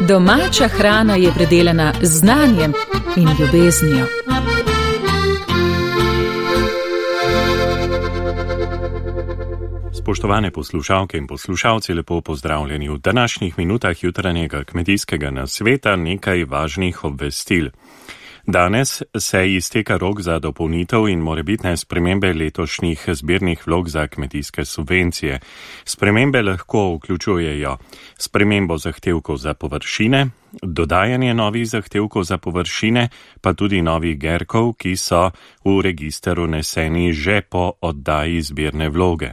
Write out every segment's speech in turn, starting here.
Domača hrana je predelana z znanjem in ljubeznijo. Spoštovane poslušalke in poslušalci, lepo pozdravljeni v današnjih minutah jutranjega kmetijskega nasveta nekaj važnih obvestil. Danes se izteka rok za dopolnitev in morebitne spremembe letošnjih zbirnih vlog za kmetijske subvencije. Spremembe lahko vključujejo spremembo zahtevkov za površine, dodajanje novih zahtevkov za površine, pa tudi novih gerkov, ki so v register vneseni že po oddaji zbirne vloge.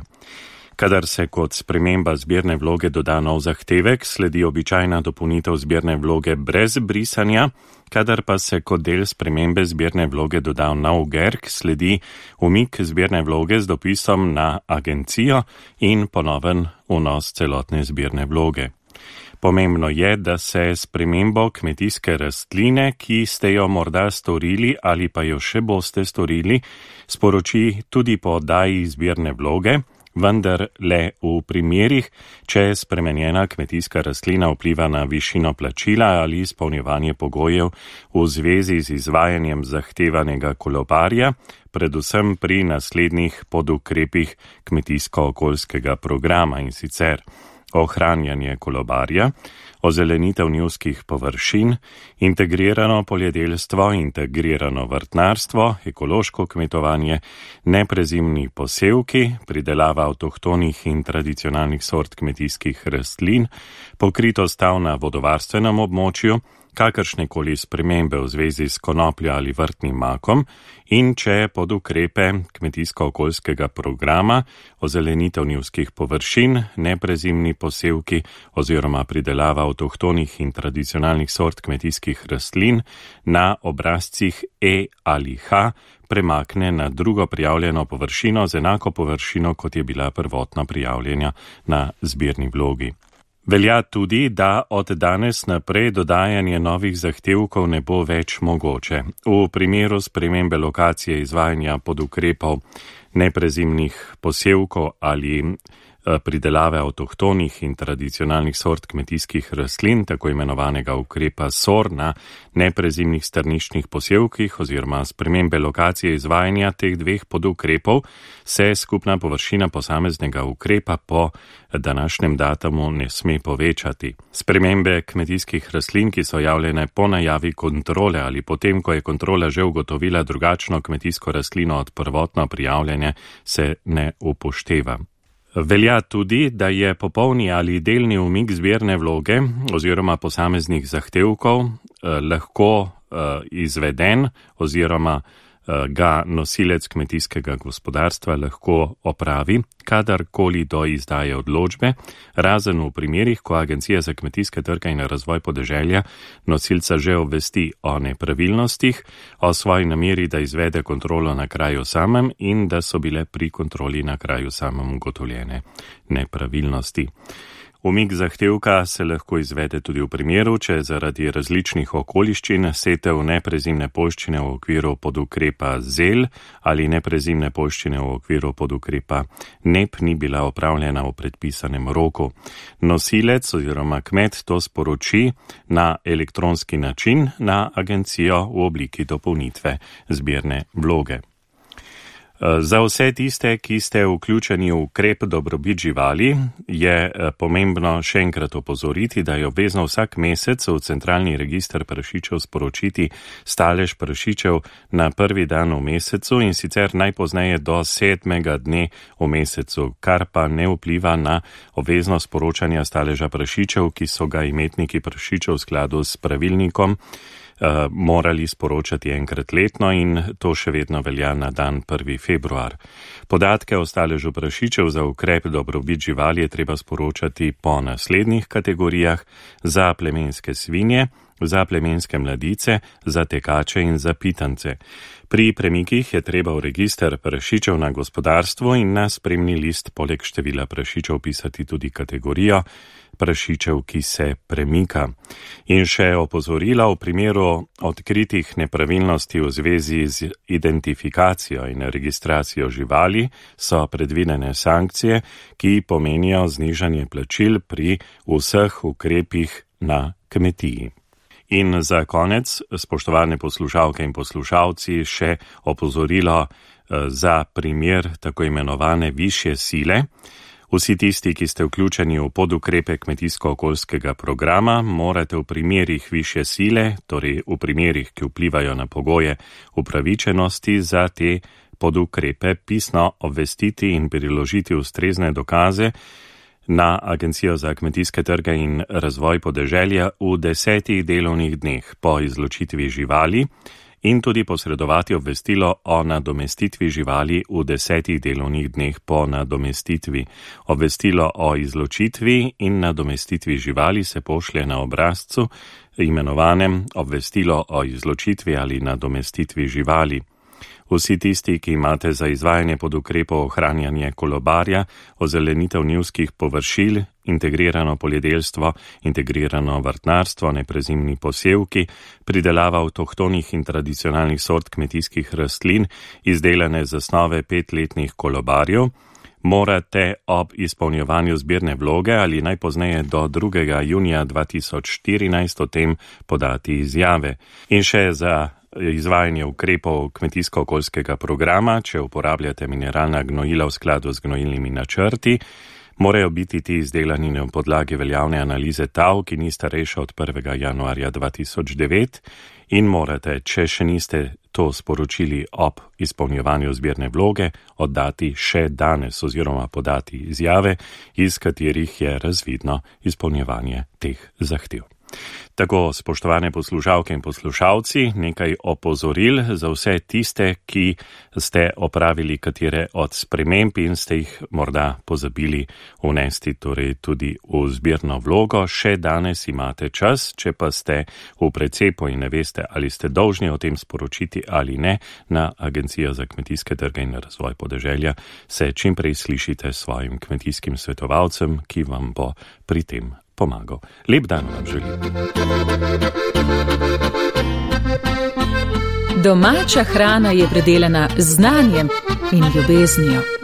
Kadar se kot sprememba zbirne vloge doda nov zahtevek, sledi običajna dopolnitev zbirne vloge brez brisanja, kadar pa se kot del spremembe zbirne vloge doda nov gerk, sledi umik zbirne vloge z dopisom na agencijo in ponoven vnos celotne zbirne vloge. Pomembno je, da se spremembo kmetijske rastline, ki ste jo morda storili ali pa jo še boste storili, sporoči tudi po oddaji zbirne vloge, vendar le v primerih, če spremenjena kmetijska rastlina vpliva na višino plačila ali izpolnjevanje pogojev v zvezi z izvajanjem zahtevanega kolobarja, predvsem pri naslednjih podukrepih kmetijsko-okoljskega programa, in sicer ohranjanje kolobarja, ozelenitev njivskih površin, integrirano poljedelstvo, integrirano vrtnarstvo, ekološko kmetovanje, neprezimni posevki, pridelava avtohtonih in tradicionalnih sort kmetijskih rastlin, pokritost tal na vodovarstvenem območju, kakršnekoli spremembe v zvezi s konopljo ali vrtnim makom in če pod ukrepe kmetijsko-okoljskega programa, ozelenitev njivskih površin, neprezimni posevki oziroma pridelava avtohtonih in tradicionalnih sort kmetijskih rastlin na obrazcih E ali H premakne na drugo prijavljeno površino z enako površino, kot je bila prvotno prijavljena na zbirni vlogi. Velja tudi, da od danes naprej dodajanje novih zahtevkov ne bo več mogoče. V primeru spremembe lokacije izvajanja podukrepov neprezimnih posevkov ali pridelave avtohtonih in tradicionalnih sort kmetijskih rastlin, tako imenovanega ukrepa SOR na neprezimnih strniščnih posevkih oziroma spremembe lokacije izvajanja teh dveh podukrepov, se skupna površina posameznega ukrepa po današnjem datumu ne sme povečati. Spremembe kmetijskih rastlin, ki so javljene po najavi kontrole ali potem, ko je kontrola že ugotovila drugačno kmetijsko rastlino od prvotno prijavljene, se ne upošteva. Velja tudi, da je popolni ali delni umik zbirne vloge oziroma posameznih zahtevkov lahko izveden oziroma ga nosilec kmetijskega gospodarstva lahko opravi, kadarkoli do izdaje odločbe, razen v primerih, ko Agencija za kmetijske trge in razvoj podeželja nosilca že obvesti o nepravilnostih, o svoji nameri, da izvede kontrolo na kraju samem in da so bile pri kontroli na kraju samem ugotovljene nepravilnosti. Umik zahtevka se lahko izvede tudi v primeru, če zaradi različnih okoliščin setev neprezimne poljščine v okviru podukrepa ZEL ali neprezimne poljščine v okviru podukrepa NEP ni bila opravljena v predpisanem roku. Nosilec oziroma kmet to sporoči na elektronski način na agencijo v obliki dopolnitve zbirne vloge. Za vse tiste, ki ste vključeni v ukrep dobrobit živali, je pomembno še enkrat opozoriti, da je obvezno vsak mesec v centralni register prašičev sporočiti stalež prašičev na prvi dan v mesecu in sicer najpozneje do 7. dne v mesecu, kar pa ne vpliva na obvezno sporočanja staleža prašičev, ki so ga imetniki prašičev v skladu s pravilnikom morali sporočati enkrat letno in to še vedno velja na dan 1. februar. Podatke o staležu prašičev za ukrep dobrobit živali je treba sporočati po naslednjih kategorijah: za plemenske svinje, za plemenske mladice, za tekače in za pitance. Pri premikih je treba v register prašičev na gospodarstvu in na spremni list poleg števila prašičev pisati tudi kategorijo prašičev, ki se premika. In še opozorila v primeru odkritih nepravilnosti v zvezi z identifikacijo in registracijo živali so predvidene sankcije, ki pomenijo znižanje plačil pri vseh ukrepih na kmetiji. In za konec, spoštovane poslušalke in poslušalci, še opozorilo za primer tako imenovane višje sile. Vsi tisti, ki ste vključeni v podukrepe kmetijsko-okoljskega programa, morate v primerih višje sile, torej v primerih, ki vplivajo na pogoje upravičenosti za te podukrepe, pisno obvestiti in priložiti ustrezne dokaze na Agencijo za kmetijske trge in razvoj podeželja v 10 delovnih dneh po izločitvi živali in tudi posredovati obvestilo o nadomestitvi živali v 10 delovnih dneh po nadomestitvi. Obvestilo o izločitvi in nadomestitvi živali se pošlje na obrazcu, imenovanem obvestilo o izločitvi ali nadomestitvi živali. Vsi tisti, ki imate za izvajanje podukrepov ohranjanje kolobarja, ozelenitev njivskih površil, integrirano poljedelstvo, integrirano vrtnarstvo, neprezimni posevki, pridelava avtohtonih in tradicionalnih sort kmetijskih rastlin, izdelane z osnove 5-letnih kolobarjev, morate ob izpolnjevanju zbirne vloge ali najpozneje do 2. junija 2014 o tem podati izjave. In še za izvajanje ukrepov kmetijsko-okoljskega programa, če uporabljate mineralna gnojila v skladu z gnojilnimi načrti, morajo biti ti izdelani na podlagi veljavne analize TAV, ki ni starejša od 1. januarja 2009 in morate, če še niste to sporočili ob izpolnjevanju zbirne vloge, oddati še danes oziroma podati izjave, iz katerih je razvidno izpolnjevanje teh zahtev. Tako, spoštovane poslušalke in poslušalci, nekaj opozoril za vse tiste, ki ste opravili katere od sprememb in ste jih morda pozabili vnesti, torej tudi v zbirno vlogo. Še danes imate čas, če pa ste v precepu in ne veste, ali ste dolžni o tem sporočiti ali ne, na Agencijo za kmetijske trge in razvoj podeželja se čim prej slišite s svojim kmetijskim svetovalcem, ki vam bo pri tem pomagal. Lep dan vam želim. Domača hrana je predelana z znanjem in ljubeznijo.